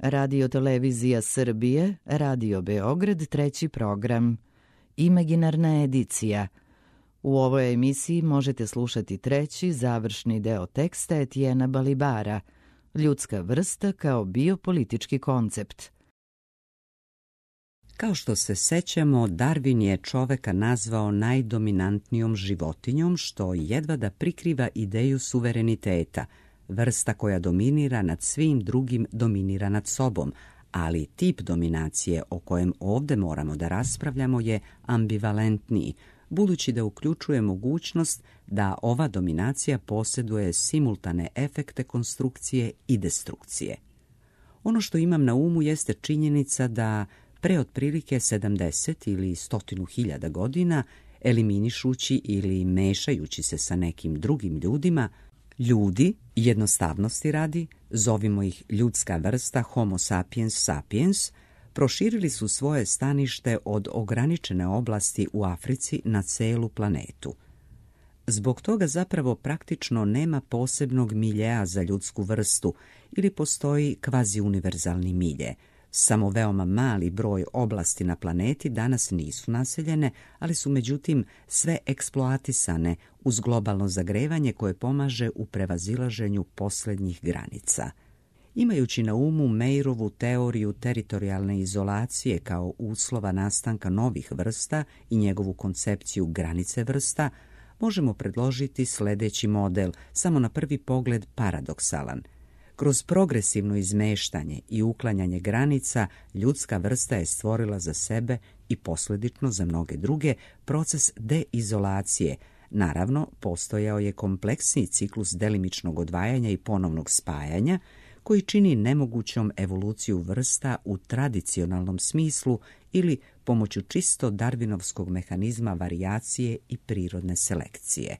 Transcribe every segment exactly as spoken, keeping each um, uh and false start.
Radio-televizija Srbije, Radio Beograd, treći program. Imaginarna edicija. U ovoj emisiji možete slušati treći, završni deo teksta Etijena Balibara, Ljudska vrsta kao biopolitički koncept. Kao što se sećamo, Darwin je čoveka nazvao najdominantnijom životinjom, što jedva da prikriva ideju suvereniteta. Vrsta koja dominira nad svim drugim dominira nad sobom, ali tip dominacije o kojem ovdje moramo da raspravljamo je ambivalentniji, budući da uključuje mogućnost da ova dominacija posjeduje simultane efekte konstrukcije i destrukcije. Ono što imam na umu jeste činjenica da pre otprilike sedamdeset ili stotinu hiljada godina, eliminišući ili mešajući se sa nekim drugim ljudima, ljudi, jednostavnosti radi, zovimo ih ljudska vrsta Homo sapiens sapiens, proširili su svoje stanište od ograničene oblasti u Africi na celu planetu. Zbog toga zapravo praktično nema posebnog miljea za ljudsku vrstu ili postoji kvazi-univerzalni milje. Samo veoma mali broj oblasti na planeti danas nisu naseljene, ali su međutim sve eksploatisane uz globalno zagrevanje koje pomaže u prevazilaženju posljednjih granica. Imajući na umu Meirovu teoriju teritorijalne izolacije kao uslova nastanka novih vrsta i njegovu koncepciju granice vrsta, možemo predložiti sljedeći model, samo na prvi pogled paradoksalan. Kroz progresivno izmeštanje i uklanjanje granica, ljudska vrsta je stvorila za sebe i posljedično za mnoge druge proces deizolacije. Naravno, postojao je kompleksni ciklus delimičnog odvajanja i ponovnog spajanja, koji čini nemogućom evoluciju vrsta u tradicionalnom smislu ili pomoću čisto darvinovskog mehanizma varijacije i prirodne selekcije.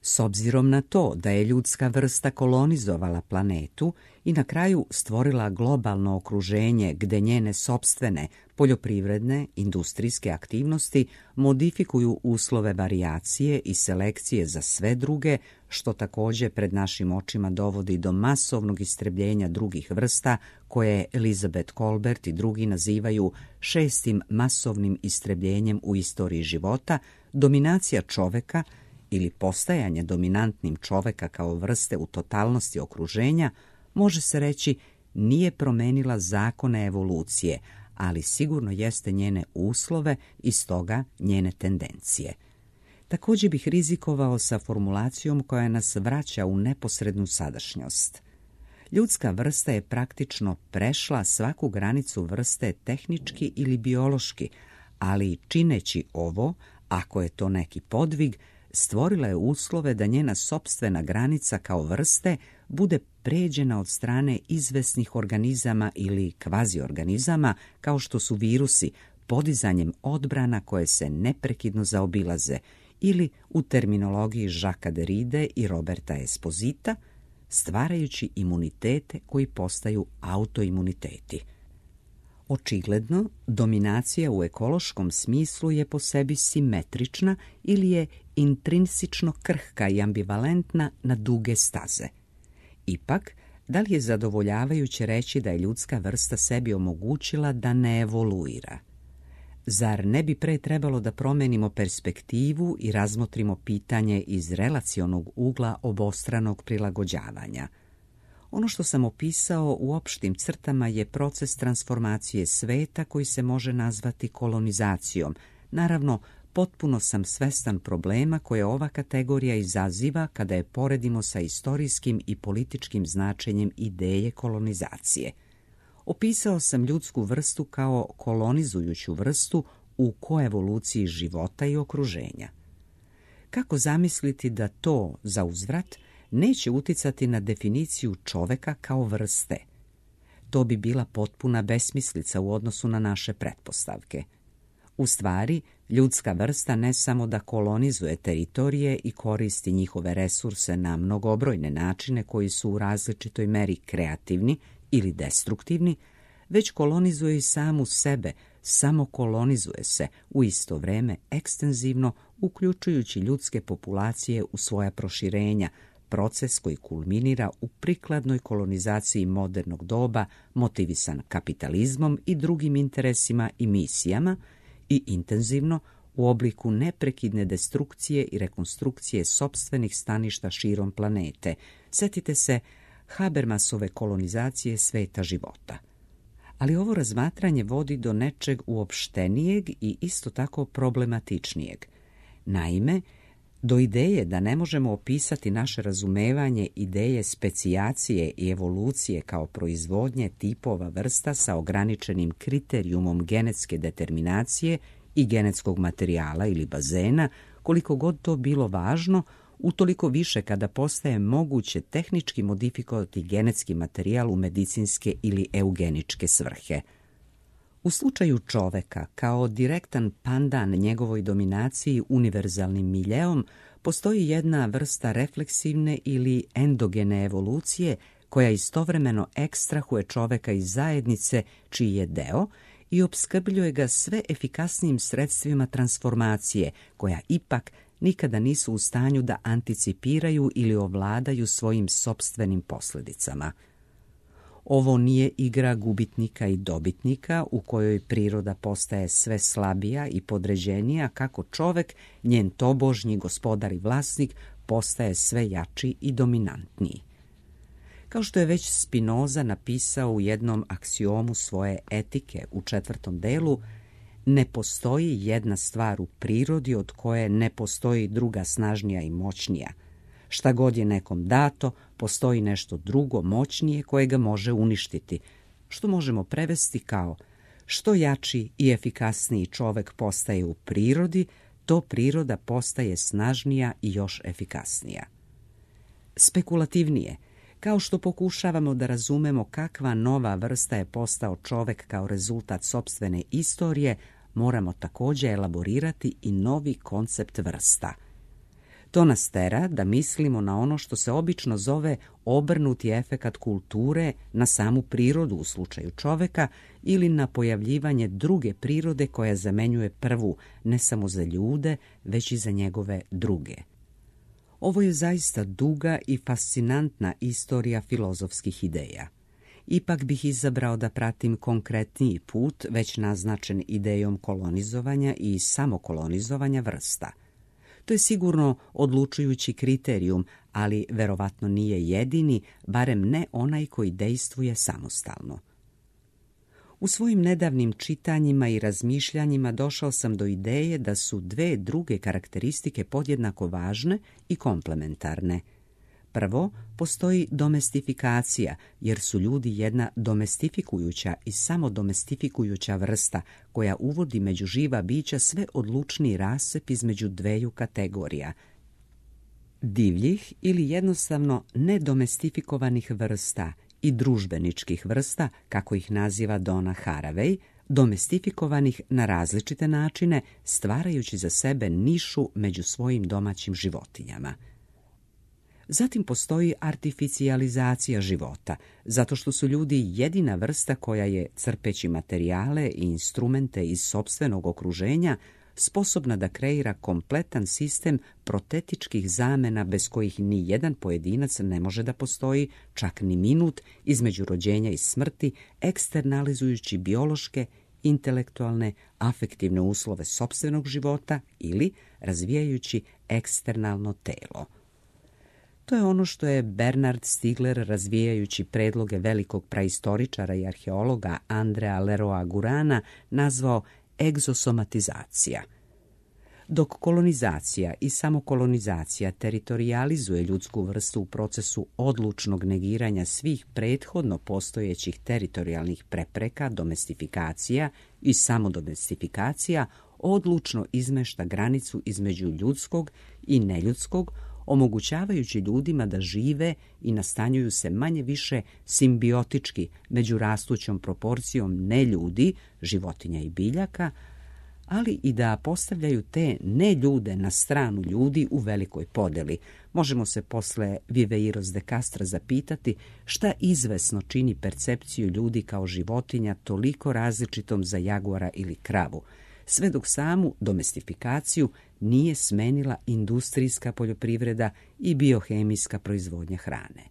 S obzirom na to da je ljudska vrsta kolonizovala planetu i na kraju stvorila globalno okruženje gde njene sopstvene poljoprivredne, industrijske aktivnosti modifikuju uslove varijacije i selekcije za sve druge, što također pred našim očima dovodi do masovnog istrebljenja drugih vrsta, koje Elizabeth Kolbert i drugi nazivaju šestim masovnim istrebljenjem u istoriji života, dominacija čoveka ili postajanje dominantnim čoveka kao vrste u totalnosti okruženja, može se reći, nije promenila zakone evolucije, ali sigurno jeste njene uslove i stoga njene tendencije. Također bih rizikovao sa formulacijom koja nas vraća u neposrednu sadašnjost. Ljudska vrsta je praktično prešla svaku granicu vrste tehnički ili biološki, ali čineći ovo, ako je to neki podvig, stvorila je uslove da njena sopstvena granica kao vrste bude pređena od strane izvesnih organizama ili kvaziorganizama, kao što su virusi, podizanjem odbrana koje se neprekidno zaobilaze, ili u terminologiji Jacquesa Derride i Roberta Esposita, stvarajući imunitete koji postaju autoimuniteti. Očigledno, dominacija u ekološkom smislu je po sebi simetrična ili je intrinsično krhka i ambivalentna na duge staze. Ipak, da li je zadovoljavajuće reći da je ljudska vrsta sebi omogućila da ne evoluira? Zar ne bi pre trebalo da promenimo perspektivu i razmotrimo pitanje iz relacionog ugla obostranog prilagođavanja? Ono što sam opisao u opštim crtama je proces transformacije sveta koji se može nazvati kolonizacijom. Naravno, potpuno sam svestan problema koje ova kategorija izaziva kada je poredimo sa istorijskim i političkim značenjem ideje kolonizacije. Opisao sam ljudsku vrstu kao kolonizujuću vrstu u koevoluciji života i okruženja. Kako zamisliti da to, za uzvrat, neće uticati na definiciju čoveka kao vrste? To bi bila potpuna besmislica u odnosu na naše pretpostavke. U stvari, ljudska vrsta ne samo da kolonizuje teritorije i koristi njihove resurse na mnogobrojne načine koji su u različitoj meri kreativni ili destruktivni, već kolonizuje i samu sebe, samo kolonizuje se u isto vreme ekstenzivno, uključujući ljudske populacije u svoja proširenja, proces koji kulminira u prikladnoj kolonizaciji modernog doba, motivisan kapitalizmom i drugim interesima i misijama, i intenzivno u obliku neprekidne destrukcije i rekonstrukcije sopstvenih staništa širom planete. Sjetite se Habermasove kolonizacije sveta života. Ali ovo razmatranje vodi do nečeg uopštenijeg i isto tako problematičnijeg. Naime, do ideje da ne možemo opisati naše razumevanje ideje specijacije i evolucije kao proizvodnje tipova vrsta sa ograničenim kriterijumom genetske determinacije i genetskog materijala ili bazena, koliko god to bilo važno, utoliko više kada postaje moguće tehnički modifikovati genetski materijal u medicinske ili eugeničke svrhe. U slučaju čoveka, kao direktan pandan njegovoj dominaciji univerzalnim miljeom, postoji jedna vrsta refleksivne ili endogene evolucije koja istovremeno ekstrahuje čoveka iz zajednice čiji je deo i opskrbljuje ga sve efikasnijim sredstvima transformacije, koja ipak nikada nisu u stanju da anticipiraju ili ovladaju svojim sopstvenim posljedicama. Ovo nije igra gubitnika i dobitnika u kojoj priroda postaje sve slabija i podređenija kako čovek, njen tobožnji gospodar i vlasnik, postaje sve jači i dominantniji. Kao što je već Spinoza napisao u jednom aksiomu svoje etike u četvrtom delu, ne postoji jedna stvar u prirodi od koje ne postoji druga snažnija i moćnija. Šta god je nekom dato, postoji nešto drugo moćnije koje ga može uništiti, što možemo prevesti kao što jači i efikasniji čovek postaje u prirodi, to priroda postaje snažnija i još efikasnija. Spekulativnije, kao što pokušavamo da razumemo kakva nova vrsta je postao čovek kao rezultat sopstvene istorije, moramo također elaborirati i novi koncept vrsta. To nas tera da mislimo na ono što se obično zove obrnuti efekat kulture na samu prirodu u slučaju čoveka ili na pojavljivanje druge prirode koja zamenjuje prvu ne samo za ljude, već i za njegove druge. Ovo je zaista duga i fascinantna istorija filozofskih ideja. Ipak bih izabrao da pratim konkretniji put već naznačen idejom kolonizovanja i samokolonizovanja vrsta. To je sigurno odlučujući kriterijum, ali verovatno nije jedini, barem ne onaj koji dejstvuje samostalno. U svojim nedavnim čitanjima i razmišljanjima došao sam do ideje da su dve druge karakteristike podjednako važne i komplementarne. Prvo, postoji domestifikacija, jer su ljudi jedna domestifikujuća i samodomestifikujuća vrsta koja uvodi među živa bića sve odlučniji rascep između dveju kategorija. Divljih ili jednostavno nedomestifikovanih vrsta i družbeničkih vrsta, kako ih naziva Donna Haraway, domestifikovanih na različite načine, stvarajući za sebe nišu među svojim domaćim životinjama. Zatim postoji artificijalizacija života, zato što su ljudi jedina vrsta koja je, crpeći materijale i instrumente iz sopstvenog okruženja, sposobna da kreira kompletan sistem protetičkih zamena bez kojih ni jedan pojedinac ne može da postoji, čak ni minut, između rođenja i smrti, eksternalizujući biološke, intelektualne, afektivne uslove sopstvenog života ili razvijajući eksternalno telo. To je ono što je Bernard Stiegler, razvijajući predloge velikog praistoričara i arheologa Andrea Leroy Gurana, nazvao egzosomatizacija. Dok kolonizacija i samokolonizacija teritorijalizuje ljudsku vrstu u procesu odlučnog negiranja svih prethodno postojećih teritorijalnih prepreka, domestifikacija i samodomestifikacija odlučno izmešta granicu između ljudskog i neljudskog, omogućavajući ljudima da žive i nastanjuju se manje više simbiotički među rastućom proporcijom neljudi, životinja i biljaka, ali i da postavljaju te neljude na stranu ljudi u velikoj podeli. Možemo se posle Viveiros de Castra zapitati šta izvesno čini percepciju ljudi kao životinja toliko različitom za jaguara ili kravu. sve dok samu domestifikaciju nije smenila industrijska poljoprivreda i biohemijska proizvodnja hrane.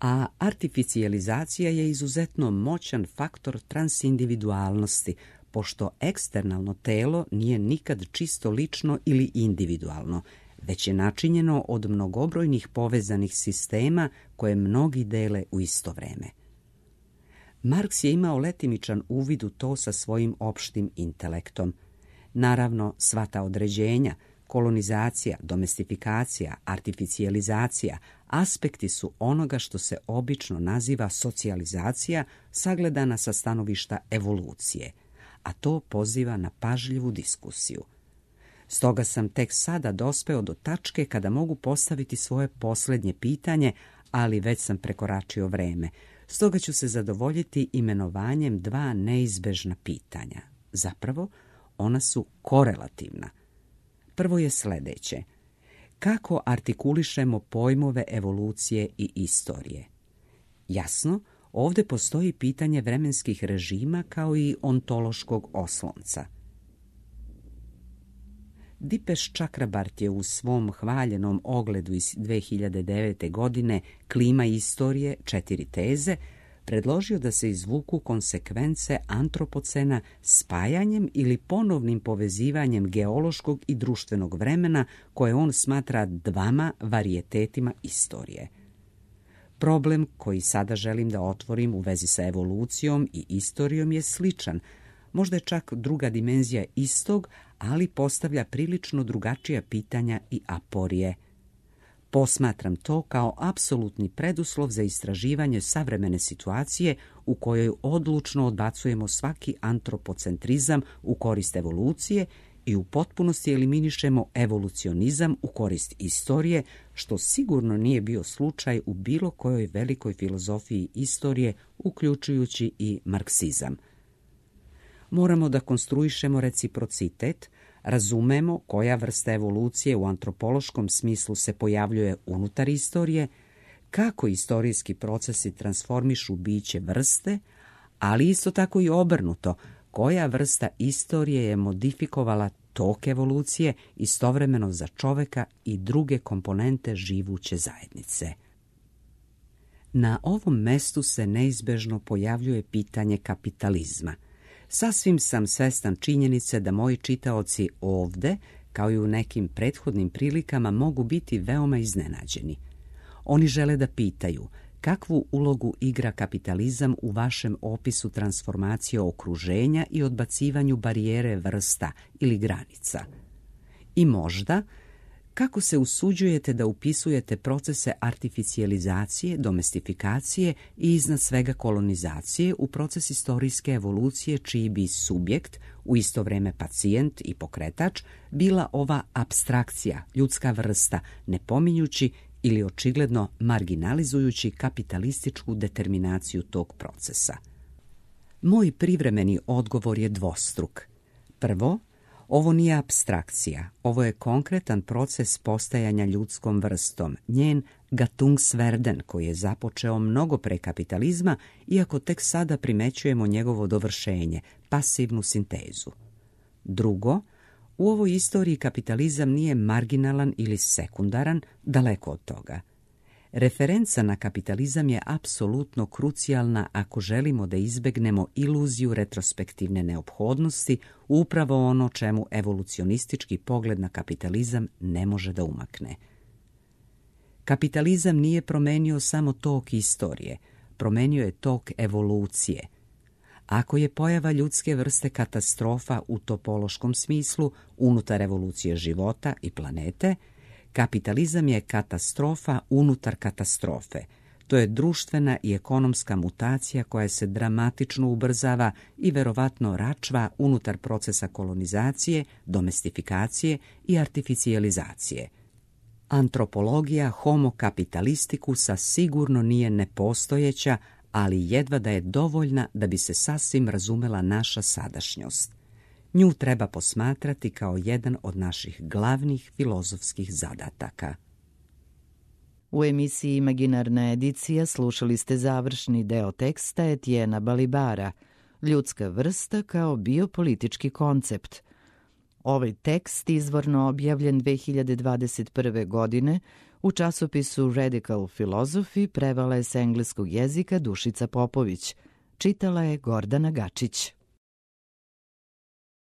A artificijalizacija je izuzetno moćan faktor transindividualnosti, pošto eksternalno telo nije nikad čisto lično ili individualno, već je načinjeno od mnogobrojnih povezanih sistema koje mnogi dele u isto vreme. Marks je imao letimičan uvid u to sa svojim opštim intelektom. Naravno, sva ta određenja, kolonizacija, domestifikacija, artificijalizacija, aspekti su onoga što se obično naziva socijalizacija, sagledana sa stanovišta evolucije, a to poziva na pažljivu diskusiju. Stoga sam tek sada dospeo do tačke kada mogu postaviti svoje posljednje pitanje, ali već sam prekoračio vreme. Stoga ću se zadovoljiti imenovanjem dva neizbežna pitanja. Zapravo, ona su korelativna. Prvo je sljedeće. Kako artikulišemo pojmove evolucije i istorije? Jasno, ovdje postoji pitanje vremenskih režima kao i ontološkog oslonca. Dipesh Chakrabarty je u svom hvaljenom ogledu iz dve hiljade devete. godine Klima istorije, četiri teze, predložio da se izvuku konsekvence antropocena spajanjem ili ponovnim povezivanjem geološkog i društvenog vremena koje on smatra dvama varijetetima istorije. Problem koji sada želim da otvorim u vezi sa evolucijom i istorijom je sličan, možda je čak druga dimenzija istog, ali postavlja prilično drugačija pitanja i aporije. Posmatram to kao apsolutni preduslov za istraživanje savremene situacije u kojoj odlučno odbacujemo svaki antropocentrizam u korist evolucije i u potpunosti eliminišemo evolucionizam u korist istorije, što sigurno nije bio slučaj u bilo kojoj velikoj filozofiji istorije, uključujući i marksizam. Moramo da konstruišemo reciprocitet, razumemo koja vrsta evolucije u antropološkom smislu se pojavljuje unutar istorije, kako istorijski procesi transformišu biće vrste, ali isto tako i obrnuto, koja vrsta istorije je modifikovala tok evolucije istovremeno za čoveka i druge komponente živuće zajednice. Na ovom mestu se neizbežno pojavljuje pitanje kapitalizma. Sasvim sam svestan činjenice da moji čitaoci ovde, kao i u nekim prethodnim prilikama, mogu biti veoma iznenađeni. Oni žele da pitaju kakvu ulogu igra kapitalizam u vašem opisu transformacije okruženja i odbacivanju barijere vrsta ili granica. I možda, kako se usuđujete da upisujete procese artificijalizacije, domestifikacije i iznad svega kolonizacije u proces istorijske evolucije čiji bi subjekt, u isto vrijeme pacijent i pokretač, bila ova apstrakcija, ljudska vrsta, ne pominjući ili očigledno marginalizujući kapitalističku determinaciju tog procesa. Moj privremeni odgovor je dvostruk. Prvo, ovo nije apstrakcija, ovo je konkretan proces postajanja ljudskom vrstom, njen Gattungswerden koji je započeo mnogo pre kapitalizma, iako tek sada primećujemo njegovo dovršenje, pasivnu sintezu. Drugo, u ovoj istoriji kapitalizam nije marginalan ili sekundaran, daleko od toga. Referenca na kapitalizam je apsolutno krucijalna ako želimo da izbegnemo iluziju retrospektivne neophodnosti, upravo ono čemu evolucionistički pogled na kapitalizam ne može da umakne. Kapitalizam nije promenio samo tok istorije, promenio je tok evolucije. Ako je pojava ljudske vrste katastrofa u topološkom smislu unutar evolucije života i planete, kapitalizam je katastrofa unutar katastrofe. To je društvena i ekonomska mutacija koja se dramatično ubrzava i verovatno račva unutar procesa kolonizacije, domestifikacije i artificijalizacije. Antropologija homo kapitalisticusa sigurno nije nepostojeća, ali jedva da je dovoljna da bi se sasvim razumela naša sadašnjost. Nju treba posmatrati kao jedan od naših glavnih filozofskih zadataka. U emisiji Imaginarna edicija slušali ste završni deo teksta Etiena Balibara, Ljudska vrsta kao biopolitički koncept. Ovaj tekst izvorno objavljen dve hiljade dvadeset prve. godine u časopisu Radical Philosophy prevala je s engleskog jezika Dušica Popović. Čitala je Gordana Gačić.